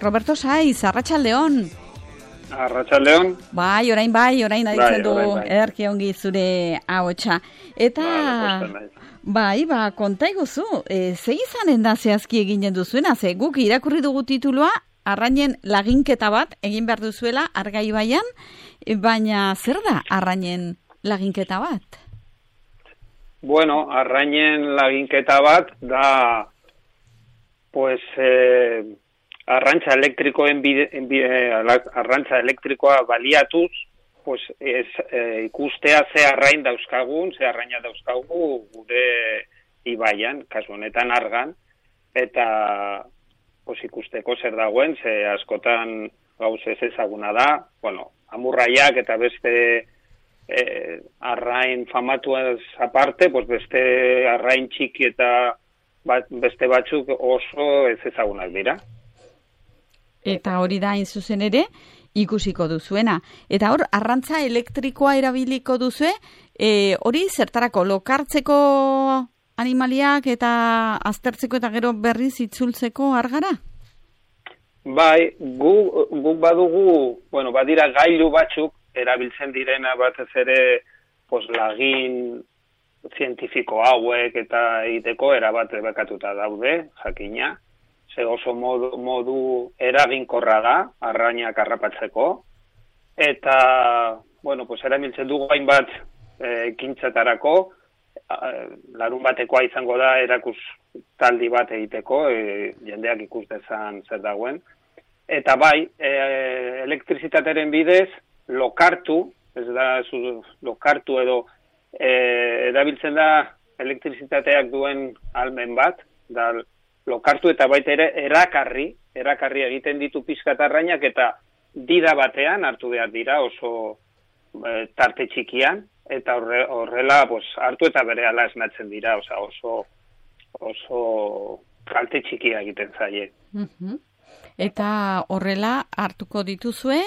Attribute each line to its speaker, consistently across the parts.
Speaker 1: Roberto Saiz, arratsaldeon.
Speaker 2: Arratsaldeon.
Speaker 1: Bai, orain aditzen du ederki ongi zure ahotsa. Eta konta iguzu, ze izanen da zehazki eginen duzuena, ze guk irakurri dugu titulua, arrainen laginketa bat egin behar duzuela Argaibaian, baina zer da arrainen laginketa bat?
Speaker 2: Bueno, arrainen laginketa bat da, arrantza elektrikoa baliatuz, ikustea ze arrain dauzkagun, ze arraina dauzkagu gure ibaian, kasu honetan Argan, eta ikusteko zer dagoen, ze askotan gauz ez ezaguna da, amurraiak eta beste arrain famatuaz aparte, beste arrain txiki eta beste batzuk oso ez ezagunak dira.
Speaker 1: Eta hori da hain zuzen ere, ikusiko duzuena. Eta hor, arrantza elektrikoa erabiliko duzue, hori zertarako lokartzeko animaliak eta aztertzeko eta gero berriz itzultzeko Argara?
Speaker 2: Bai, guk badugu, badira gailu batzuk, erabiltzen direna batez ere lagin zientifiko hauek eta egiteko erabat bekatuta daude, jakina. Ze oso modu eraginkorra da, arrainak harrapatzeko. Eta, erabiltzen dugu hainbat ekintzetarako, larun batekoa izango da erakustaldi bat egiteko, jendeak ikus dezan zer dagoen. Eta bai, elektrizitateren bidez, lokartu edo erabiltzen da elektrizitateak duen almen bat, da lokartu eta baita ere erakarri egiten ditu pixkat arrainak eta dida batean hartu behar dira oso tarte txikian, eta horrela hartu eta berehala esnatzen dira, oso kalte txikia egiten zaie.
Speaker 1: Eta horrela hartuko dituzue,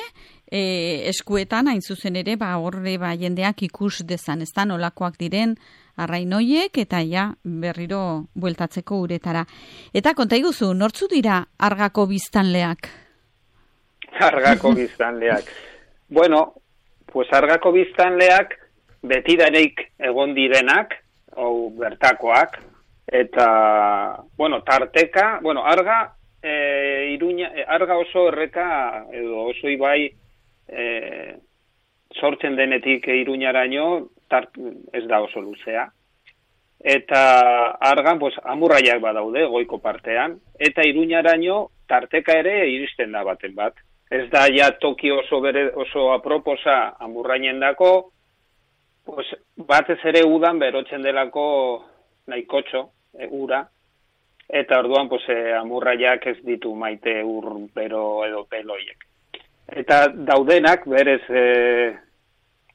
Speaker 1: eskuetan hain zuzen ere, horre jendeak ikus dezan, ez da nolakoak diren arrain hoiek eta berriro bueltatzeko uretara. Eta konta iguzu, nortzu dira Argako biztanleak?
Speaker 2: Argako biztanleak. Argako biztanleak betidanik egon direnak, bertakoak, eta, tarteka, Arga oso erreka, edo oso ibai sortzen denetik Iruñaraino, ez da oso luzea. Eta Argan, amurraiak badaude, goiko partean, eta Iruñaraino tarteka ere iristen da baten bat. Ez da toki oso aproposa amurrainen dako, batez ere udan berotzen delako nahikotxo, ura, eta orduan amurraiak ez ditu maite ur bero edo peloiek. Eta daudenak berez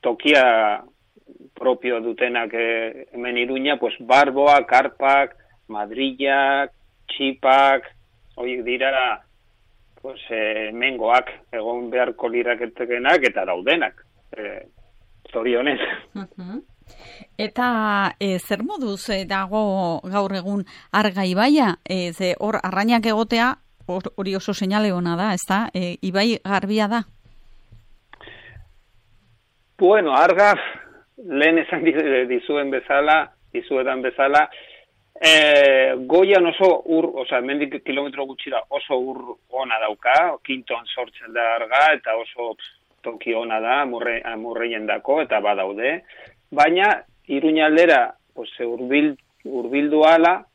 Speaker 2: tokia propio dutenak hemen Iruña, barboak, karpak, madrillak, txipak, horiek dira mengoak egon beharko liraketekenak eta daudenak, zorionez.
Speaker 1: Eta zer moduz dago gaur egun Argaibaia, hor arrainak egotea, hori oso seinale ona da, ez da? Ibai garbia da?
Speaker 2: Arga, lehen esan dizuetan bezala, goian oso mendik kilometro gutxira oso ur ona dauka, kinton sortzen da Arga, eta oso toki ona da, amurreien dako, eta badaude. Baina, Iruña aldera, urbildu ala,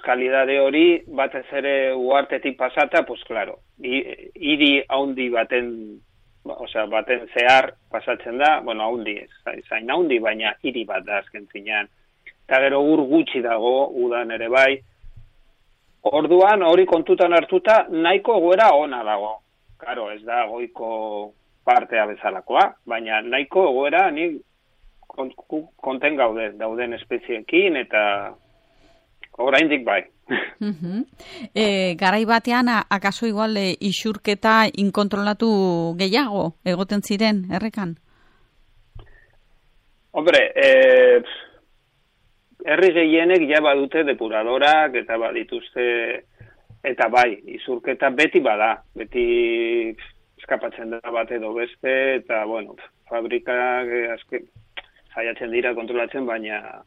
Speaker 2: kalidade hori, batez ere uartetik pasata, hiri haundi baten zehar pasatzen da, haundi ez, zain haundi, baina hiri bat da azken zinean. Eta gero ur gutxi dago, udan ere bai. Orduan, hori kontutan hartuta, nahiko goera ona dago. Karo, ez da goiko partea bezalakoa, baina nahiko goera nik konten dauden espeziekin eta oraindik bai.
Speaker 1: Garai batean, akaso igual isurketa inkontrolatu gehiago egoten ziren, errekan?
Speaker 2: Hombre, herri gehienek badute depuradorak eta badituzte Eta bai, izurketa beti bada, beti eskapatzen da bat edo beste, eta, bueno, fabrikak saiatzen dira kontrolatzen, baina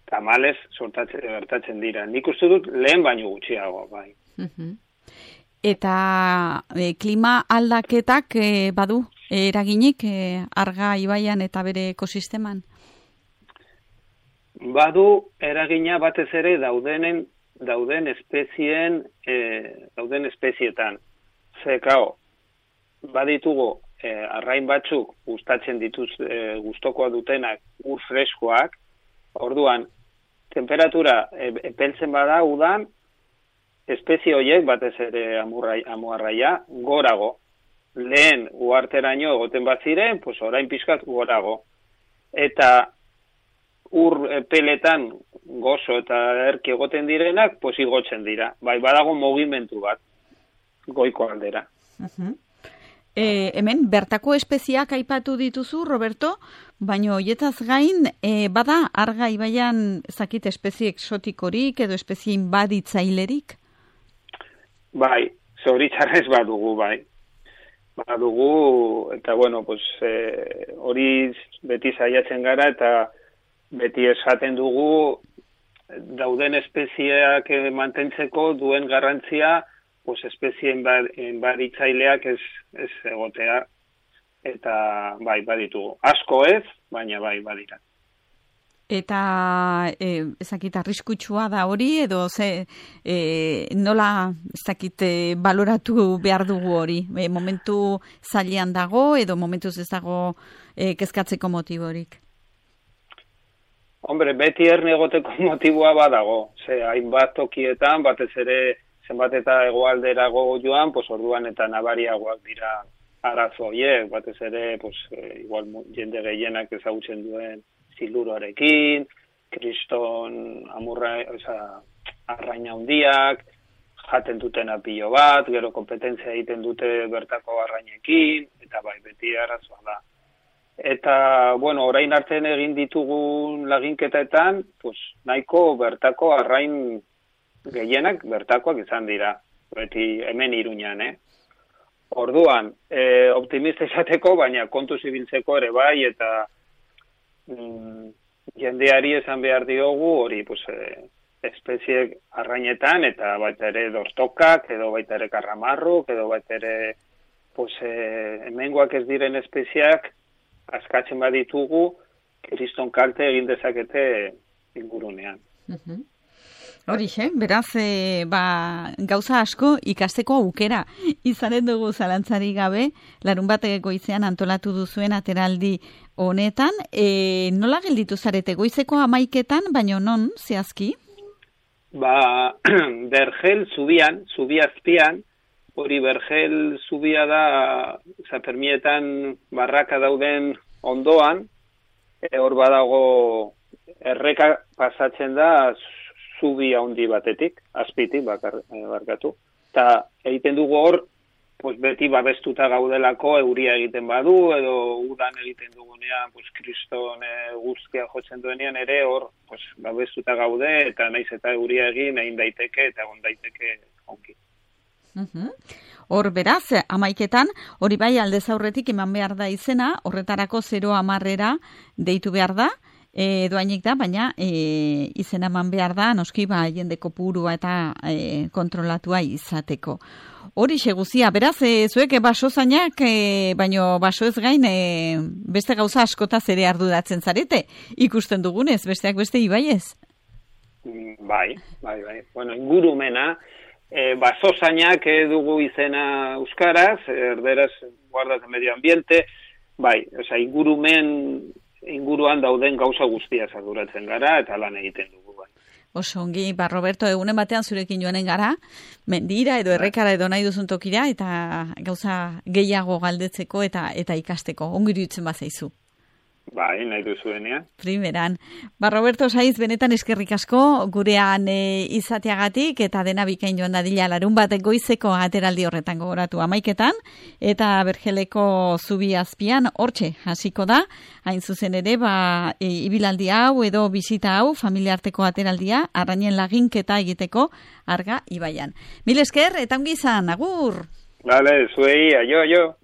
Speaker 2: tamalez gertatzen dira. Nik uste dut lehen baino gutxiago, bai.
Speaker 1: Eta klima aldaketak badu eraginik Arga ibaian eta bere ekosisteman?
Speaker 2: Badu eragina batez ere dauden espezietan. Zekao, baditugu arrain batzuk gustatzen gustokoa dutenak ur freskoak, orduan temperatura epeltzen bada udan, espezie horiek batez ere amuarraia gorago. Lehen uharteraino egoten baziren, pues orain pixkat gorago. Eta ur peletan gozo eta erki egoten direnak, pues igotzen dira. Bai, badago mugimendu bat, goiko aldera.
Speaker 1: Hemen, bertako espeziak aipatu dituzu, Roberto, baina hoietaz gain, bada Arga ibaian zakit espezie exotikorik edo espezie inbaditzailerik?
Speaker 2: Bai, zoritxarrez badugu, bai. Badugu, eta bueno, pues, hori beti saiatzen gara, eta beti esaten dugu dauden espezieak mantentzeko duen garrantzia, pues espezie inbaditzaileak ez egotea, eta bai, baditugu. Asko ez, baina bai, badira.
Speaker 1: Eta ezakit arriskutsua da hori, edo nola ezakit baloratu behar dugu hori? Momentu zailean dago, edo momentuz ez dago kezkatzeko motiborik?
Speaker 2: Hombre, beti erne egoteko motiboa badago. Hainbat tokietan, batez ere zenbat eta hegoalderago joan, pues orduan eta nabariagoak dira arazo horiek, batez ere, pues, igual jende gehienak ezagutzen duen siluroarekin, kriston arraina handiak, jaten duten apilo bat, gero kompetentzia egiten dute bertako arrainekin, eta bai, beti arazoa da. Eta, bueno, orain artean egin ditugun laginketetan, pues, nahiko bertako arrain gehienak bertakoak izan dira, beti hemen Iruñan, Orduan, optimista izateko, baina kontuz ibiltzeko ere bai, eta jendeari esan behar diogu, hori, pues, espeziek arrainetan, eta baita ere dortokak, edo baita ere karramarruk, edo baita ere, pues, hemengoak ez diren espeziak, askatzen baditugu, kriston kalte egin dezakete ingurunean.
Speaker 1: Horixe, beraz, gauza asko ikasteko aukera izanen dugu zalantzari gabe, larunbat goizean antolatu duzuen ateraldi honetan. Nola gelditu zarete goizeko 11etan, baino non, zehazki?
Speaker 2: Bergel zubi azpian, hori Bergel zubia da, Zapermietan barraka dauden ondoan, hor badago erreka pasatzen da zubi handi batetik, azpitik barkatu. Eta egiten dugu hor, pues beti babestuta gaudelako euria egiten badu, edo udan egiten dugunean, pues kriston guzkia jotzen duenean ere hor, pues babestuta gaude, eta naiz eta euria egin, egin daiteke, eta egon daiteke onki.
Speaker 1: Hor beraz, 11etan, hori bai aldez aurretik eman behar da izena, horretarako 0-10 deitu behar da, doainik da, baina izena eman behar da, noski jende kopurua eta kontrolatua izateko. Hori guzia, beraz, zuek baso zainak, baino baso ez gain, beste gauza askotaz ere arduratzen zarete, ikusten dugunez, besteak beste ibaiez?
Speaker 2: Bai. Bueno, ingurumena, baso zainak dugu izena euskaraz, erderaz guardas de medio ambiente, bai, oza, inguruan dauden gauza guztia arduratzen gara, eta lan egiten dugu, bai.
Speaker 1: Oso ongi, Roberto, egunen batean zurekin joanen gara, mendira edo errekara edo nahi duzun tokira, eta gauza gehiago galdetzeko eta ikasteko, ongi iruditzen bazaizu.
Speaker 2: Bai, nahi duzuenean.
Speaker 1: Primeran. Roberto Saiz, benetan eskerrik asko gurean izateagatik eta dena bikain joan dadila larun bat goizeko ateraldi horretan gogoratu 11:00 eta Bergeleko zubi azpian hortxe hasiko da. Hain zuzen ere, ibilaldi hau edo bisita hau, familiarteko ateraldia, arrainen laginketa egiteko Arga ibaian. Mil esker, eta ongi izan, agur!
Speaker 2: Vale, zuei, aio.